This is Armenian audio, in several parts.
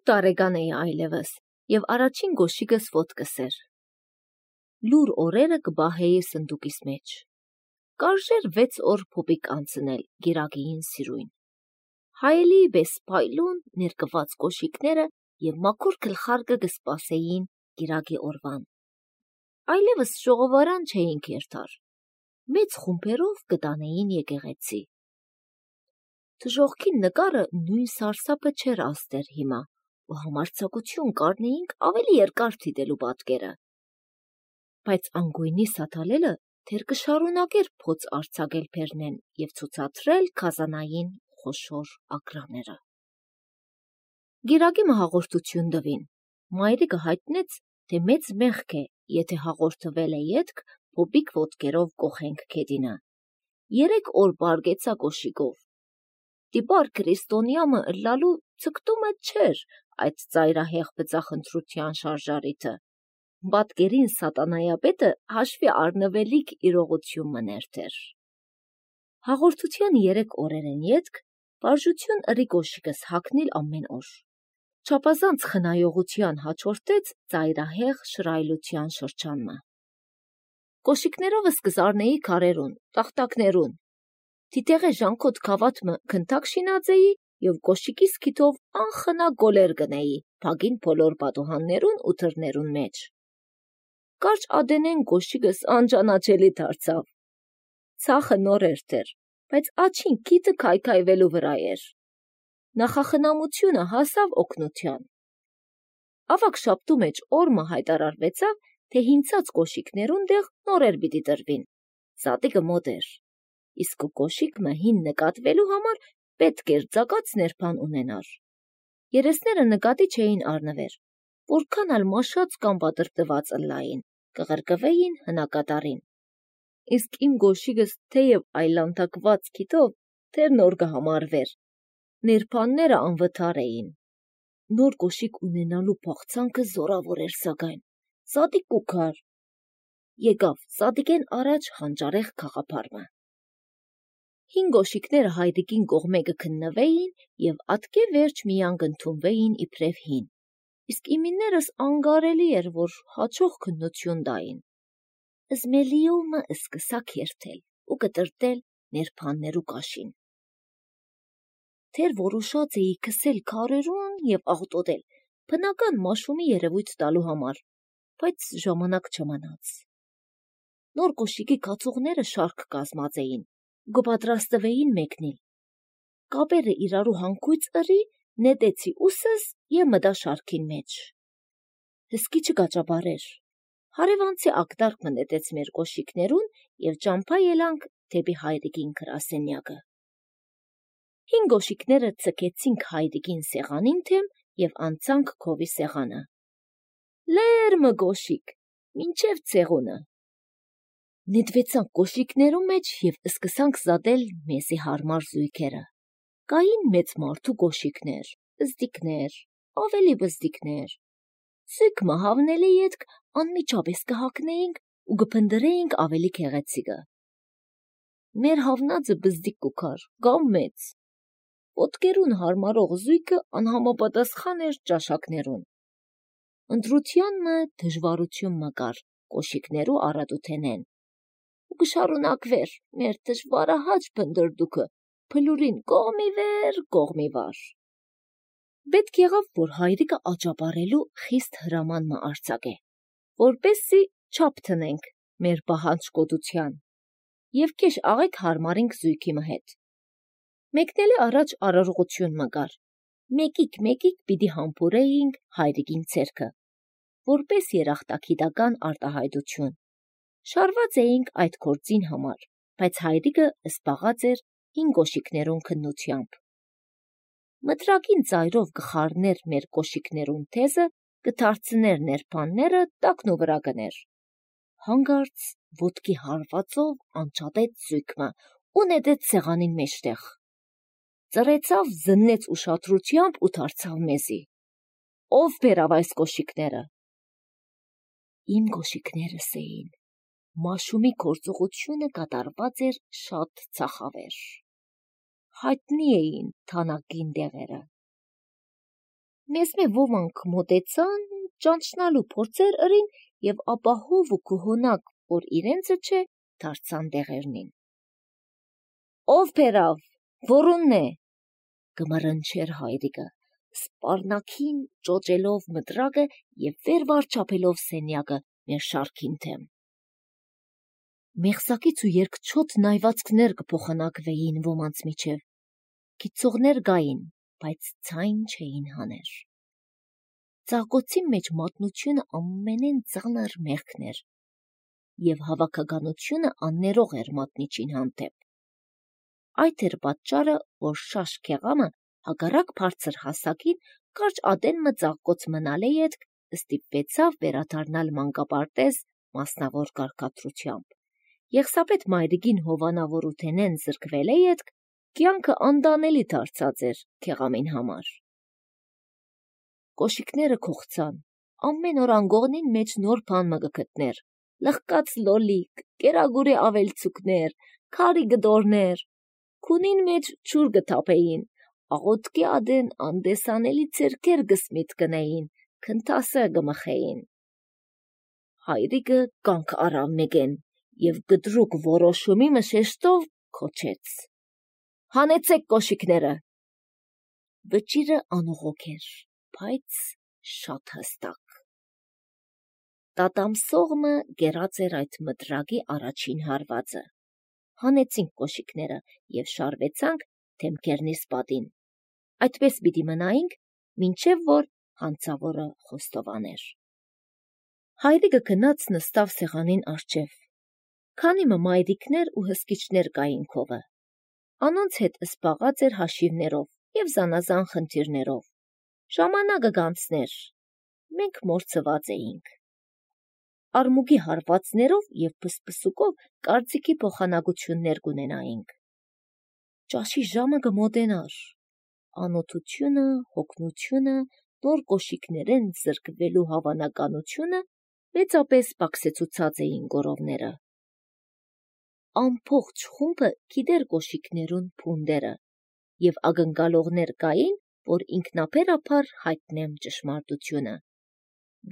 տարեկան էի այլևս, և առաջին գոշիկս ոտքս էր։ Լուր օրերը կբահեի սնդուկիս մեջ։ Կարժեր 6 օր փոպիկ անցնել գիրագիին սիրույն։ Հայելի բես պայլուն ներկված կոշիկները և մաքուր գլխարկը կսպասեին գիրագի օրվան։ Այլևս ժողովարան չէինք երթար, մեծ խումբերով կտանեին եկեղեցի։ Թժողքին նկարը նույն սարսափը չէր աստեր հիմա, ու համարձակություն կարնեինք ավելի երկար թիտելու պատկերը։ Բայց անգույնի սաթալելը թեր կշարունակեր փոց արձակել Փերնեն և ցուցադրել քազանային խոշոր ակրաները։ Գիրագի հաղորդություն տվին։ Մայրիկը հայտնեց, թե մեծ մեղք է, եթե հաղորդվել է ետք փոպիկ ոտքերով կոխենք քեդինը։ 3 օր բարգեցա կոշիկով։ Տիպար քրիստոնյամը ըլլալու ցկտումը չէր այդ ծայրահեղ բծախնդրության շարժարիթը։ Պատկերին սատանայապետը հաշվի առնվելիք իրողություն մներ թեր։ Հաղորդության 3 օրերեն ետք բաժություն ըրի կոշիկս հագնիլ ամեն օր։ Չափազանց խնայողության հաջորդեց ծայրահեղ շռայլության շրջանը։ Կոշիկներովս կզարնեի քարերուն, տախտակներուն։ Թիթեղե ժանքոտ քավաթմը քնթակ շինածեի և կոշիկիս քիթով անխնա գոլեր գնեի փագին բոլոր պատուհաններուն ու թռներուն մեջ։ Կարճ ադենեն կոշիկս անճանաչելի դարձավ։ Ցախը նոր էր թեր, բայց աչին քիթը քայքայվելու վրա էր։ Նախախնամությունը հասավ օգնության։ Ավագ շաբթու մեջ օրմը հայտարարվեցավ, թե հինցած կոշիկներուն դեղ նորեր պիտի տրվին։ Սատիկը մոտ էր։ Իսկ կոշիկը հին նկատվելու համար պետք էր ծակած ներբան ունենար։ Երեսները նկատի չէին առնվեր, որքան ալ մաշած կամ պատրպտված ըլլային, կղրկվեին հնակատարին։ Իսկ իմ գոշիկս թեև այլանդակված քիթով թեր նոր կհամարվեր։ Ներբանները անվթար էին։ Նոր կոշիկ ունենալու փախցանքը զորավոր էր սակայն, սատիկ ու քար։ Եկավ սատիկեն առաջ խանճարեղ քաղաքարմը։ Հին գոշիկները հայրիկին կողմե կքննվեին և ատկե վերջ միան կընդունվեին իբրև հին, իսկ իմիներս անգարելի էր, որ հաջող քննություն տային։ Զմելիումը սկսա քերթել ու կտրտել ներբաններու կաշին։ Թեր որոշած էի քսել քարերուն և աղտոտել, բնական մաշումի երևույթ տալու համար, բայց ժամանակ չմնաց։ Նոր կոշիկի կացուղները շարք կազմած էին, կպատրաստվեին մեկնիլ։ Կապերը իրարու հանգույց ըրի, նետեցի ուսս և մտա շարքին մեջ։ Հսկիչը կաճաբարեր։ Հարևանցի ակտարկը նետեց մեր կոշիկներուն և ճամփա ելանք դեպի հայրիկին գրասենյակը։ Հին գոշիկները ցկեցինք հայրիկին սեղանին թեմ և անցանք քովի սեղանը։ Լերմը գոշիկ, մինչև ցեղունը։ Նետվեցանք կոշիկներու մեջ և սկսանք զատել մեզի հարմար զույգերը։ Կային մեծ մարդու կոշիկներ, բզդիկներ, ավելի բզդիկներ։ Զույգ մահավնելի ետք անմիջապես կհագնեինք ու կփնտրեինք ավելի գեղեցիկը։ Մեր հավնածը բզդիկ ու քար, կամ մեծ։ Ոտքերուն հարմարող զույգը անհամապատասխան էր ճաշակներուն։ Ընտրությանն դժվարություն մկար կոշիկներու առատութենեն։ Ու կշարունակվեր մեր դժվարահաճ փնտրտուքը փլուրին կողմի վեր, կողմի վար։ Պետք եղավ, որ հայրիկը աճապարելու խիստ հրաման մը արձակե, որպեսզի չափ տնենք մեր բահանջկոտության և քեշ աղեք հարմարինք զույգի մը հետ։ Մեկնելի առաջ արարողություն մկար, մեկիկ պիտի համբուրեինք հայրիկին ցերքը, որպես երախտագիտական արտահայտություն։ Շարված էինք այդ գործին համար, բայց հայրիկը զբաղած էր հին կոշիկներուն քննությամբ։ Մտրակին ծայրով կխառներ մեր կոշիկներուն թեզը, կդարձներ ներբանները, տակնու վրա կներ։ Հանգարց ոտքի հարվածով անջատեց զույգը ու նետեց սեղանին մեջտեղ։ Ծռեցավ, զննեց ուշադրությամբ ու դարձավ մեզի։ Ո՞վ բերավ այս կոշիկները։ Իմ կոշիկներս էին։ Մաշումի գործողությունը կատարված էր շատ ցախավեր։ Հայտնի էին թանաքին դեղերը։ մեզ մե ոմանք մոտեցան, ճանչնալու փորձեր ըրին եւ ապահով ու կողոնակ, որ իրենցը չէ, դարձան դեղերնին։ Ով փերավ, որունն է, գմռնչեր հայրիկը, սպառնակին ճոճելով մտրակը եւ վեր վարչապելով սենյակը մեր շարքին թեմ։ Մեղսակից ու երկչոտ նայվածքներ կփոխանակվեին ոմանց միջև, գիծողներ գային, բայց ցայն չէին հաներ։ Ծաղկոցի մեջ մատնությունը ամենեն ծանր մեղքն էր, եւ հավաքականությունը աններող էր մատնիչին հանդեպ։ Այդ էր պատճառը, որ շաշ քեղամը հագարակ բարձր հասակին կարճ ադենմը ծաղկոց մնալե ետք ստիպվեցավ վերադառնալ մանկապարտեզ մասնավոր կարգադրությամբ։ Եղսապետ մայրիկին հովանավորութենեն զրկվել է ետք կյանքը անդանելի դարձած էր քեղամին համար։ Կոշիկները քողցան, ամեն օր անգողնին մեջ նոր բան մը գտներ, լղկած լոլիկ, կերագուրե ավելցուկներ, քարի գդորներ, քունին մեջ ջուր գթափեին, աղոտկի ադեն անդեսանելի ցերքեր գսմիտ կնեին, քնթասը գմխեին։ Հայրիկը կանք արավ մեգեն եւ գդրուկ որոշումի մշեշտով քոչեց. հանեցեք կոշիկները։ Վճիրը անողոք էր, բայց շատ հստակ։ Տատամսողմը գերած էր այդ մտրակի առաջին հարվածը։ Հանեցինք կոշիկները եւ շարվեցանք թեմքերնիս պատին։ Այդպես պիտի մնայինք, մինչև որ հանցավորը խոստովաներ։ Հայրիկը գնաց նստավ սեղանին առջև։ Քանի մայրիկներ ու հսկիչներ կային քովը։ Անոնց հետ սպաղած էր հաշիվներով եւ զանազան խնդիրներով։ Ժամանակը գանցներ, մենք մորցված էինք։ Արմուգի հարվածներով եւ պսպսուկով կարծիքի փոխանակություններ կունենայինք։ Ճաշի ժամը կմոտենար։ Անօթությունը, հոգնությունը, նոր կոշիկներեն զրկվելու հավանականությունը մեծապես պակսեցուցած էին գորովները։ Ամբողջ խումբը գիտեր կոշիկներուն փունդերը եւ ակնկալողներ կային, որ ինքնաբերաբար հայտնեմ ճշմարտությունը։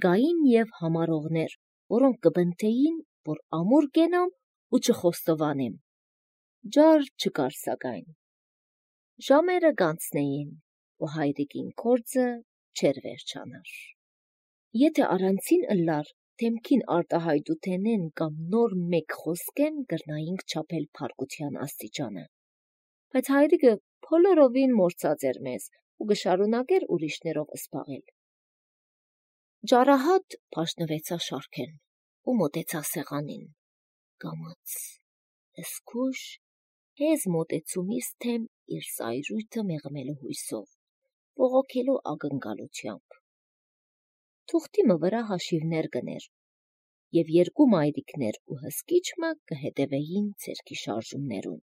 Գային եւ համարողներ, որոնք կբնթեին, որ ամուր կենամ ու չխոստովանեմ։ Ջար չկար սակայն։ Ժամերը գանցնեին, ու հայրիկին կորձը չեր վերջանար։ Եթե առանցին ըլլար, թեմքին արտահայտութենեն կամ նոր մեկ խոսքեն գրնայինք չափել փարկության աստիճանը։ Բայց հայրիկը բոլորովին մորցած էր մեզ ու գշարունակեր ուրիշներով սպաղել։ Ջարահատ փաշնվեցա շարքեն ու մոտեցա սեղանին։ Կամաց, զգույշ, հեզ մոտեցումից թեմ իր զայրույթը մեղմելու հույսով, բողոքելու ակնկալությամբ։ Թուղթիմը վրա հաշիվներ կներ, եւ երկու մայրիկներ ու հսկիչը կհետևեին ցերքի շարժումներուն։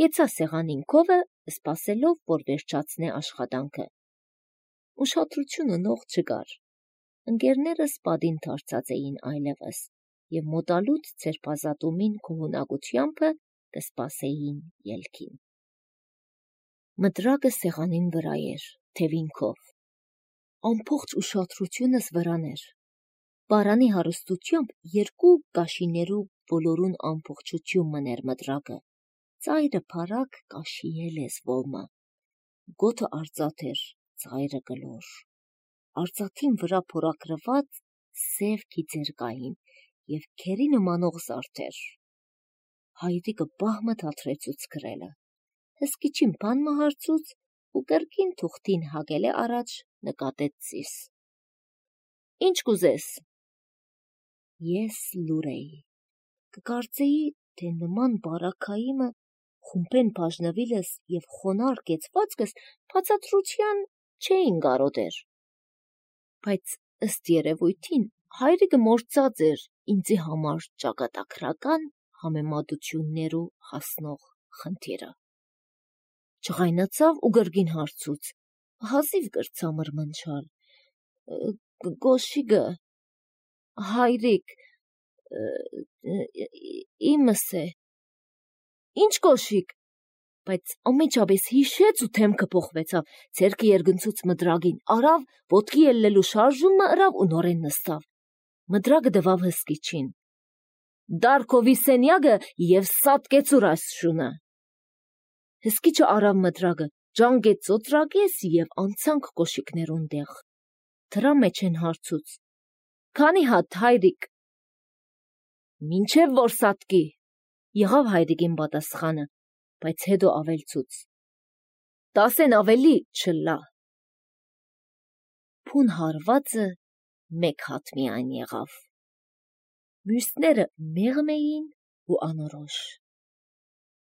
Կեցա սեղանին քովը, սպասելով, որ վերջացնե աշխատանքը։ Ուշադրությունը նող չկար։ Ընկերներս պատին դարձած էին այլևս, եւ մոտալուտ ցերպազատումին կողունակությամբ կսպասեին ելքին։ Մտրակը սեղանին վրա էր, թևինքով։ Ամբողջ ուշադրությունս վրան էր։ Բարանի հարստությամբ երկու կաշիներու բոլորուն ամբողջություն մներ մտրակը։ Ծայրը փարակ կաշիե լեզվոմը։ Գոթը արծաթ էր, ծայրը գլոր։ Արծաթին վրա փորագրված սև գիծեր կային եւ քերի նմանող զարդեր։ Հայրիկը բահմը թատրեցուց գրելը։ Հսկիչին բան մահարցուց ու կրկին թուղթին հագել է առաջ նկատեց ծիս։ Ինչ կուզես։ Ես լուր էի։ Կկարծեի, թե նման բարակայիմը խումբեն բաժնվիլս եւ խոնար կեցվածքս բացատրության չէին կարոտեր։ Բայց ըստ երևույթին հայրիկը մորցած էր ինձի համար ճակատագրական համեմատություններու հասնող խնդիրը։ Չղայնացավ ու գրգին հարցուց, հազիվ կրծա մրմնչալ։ Կոշիկը, հայրիկ, իմս է։ Ինչ կոշիկ։ բայց ամիջապես հիշեց ու թեմքը փոխվեցավ, ձեռքը երգնցուց մդրագին արավ, ոտքի ելնելու շարժումը ըրավ ու նորեն նստավ։ Մդրագը դվավ հսկիչին։ Դարքովի սենյակը և սատկեցուր այս շունը։ Հսկիչը արավ մդրագը, ջանգեց ծոծրակես և անցանք կոշիկներուն դեղ։ Դրա մեջ են հարցուց. «Քանի հատ, հայրիկ»։ «Մինչև որ սատկի», եղավ հայրիկին պատասխանը, բայց հետո ավելցուց. «10 ավելի չլա»։ Փուն հարվածը 1 հատ միայն եղավ։ Մյուսները մեղմ էին ու անորոշ։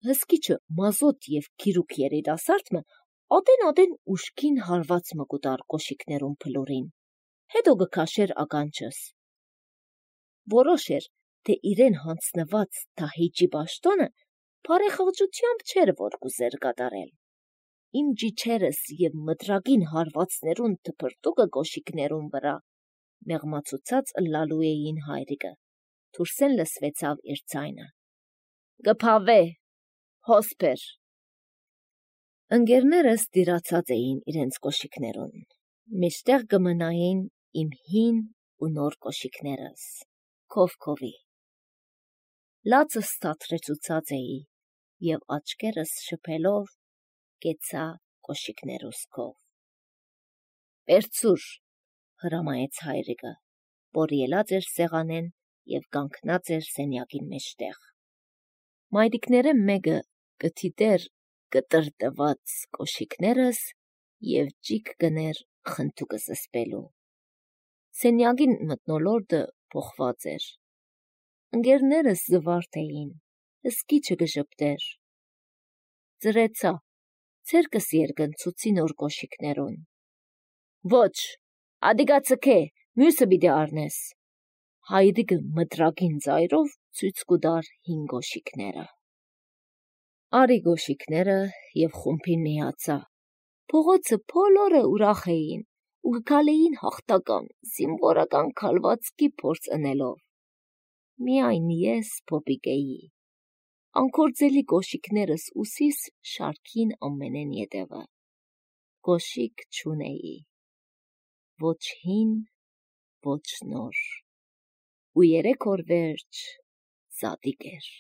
Հսկիչը մազոտ և քիրուկ երիտասարդը ատեն ուշքին հարված մը կուտար կոշիկներուն փլուրին, հետո գքաշեր ականջս։ Որոշ էր, թե իրեն հանձնված դահիճի պաշտոնը բարեխղճությամբ չէր որ կուզեր կատարել։ Իմ ջիջերս և մդրագին հարվածներուն թփրտուկը կոշիկներուն վրա մեղմացուցած ըլլալու էին հայրիկը, դուրսեն լսվեցավ իր ձայնը. «Գփավե, հոսպեր»։ Ընկերներս տիրացած էին իրենց կոշիկներուն, մեջտեղ կմնային իմ հին ու նոր կոշիկներս, քովքովի։ Լացս թատրեցուցած էի և աչքերս շփելով կեցա կոշիկներուս քով։ «Պերծուր», հրամայեց հայրիկը, որ ելած էր սեղանեն և կանգնած էր սենյակին մեջտեղ։ Մայրիկները մեկը կթիտեր կտրտված կոշիկներս և ճիգ կներ խնդուկը զսպելու։ Սենյակին մթնոլորտը փոխված էր։ Ընկերներս զվարթ էին, հսկիչը կժպտեր։ Ծրեցա, ձեռքս երգնցուցի նոր կոշիկներուն։ «Ոչ, ադիգա ցքե, մյուսը պիտի առնես»։ Հայրիկը մդրագին ձայրով ցույց կուտար հին կոշիկները։ Արի կոշիկները և խումբին միացա։ Փողոցը բոլորը ուրախ էին ու գքալեին հաղթական, զինվորական քալվածքի փորձ ընելով։ Միայն ես փոփիկ էի։ Անկործելի կոշիկներս ուսիս շարքին ամենեն ետևը։ Կոշիկ չունեի։ Ոչ հին, ոչ նոր։ Ու 3 օր վերջ զատիկ էր։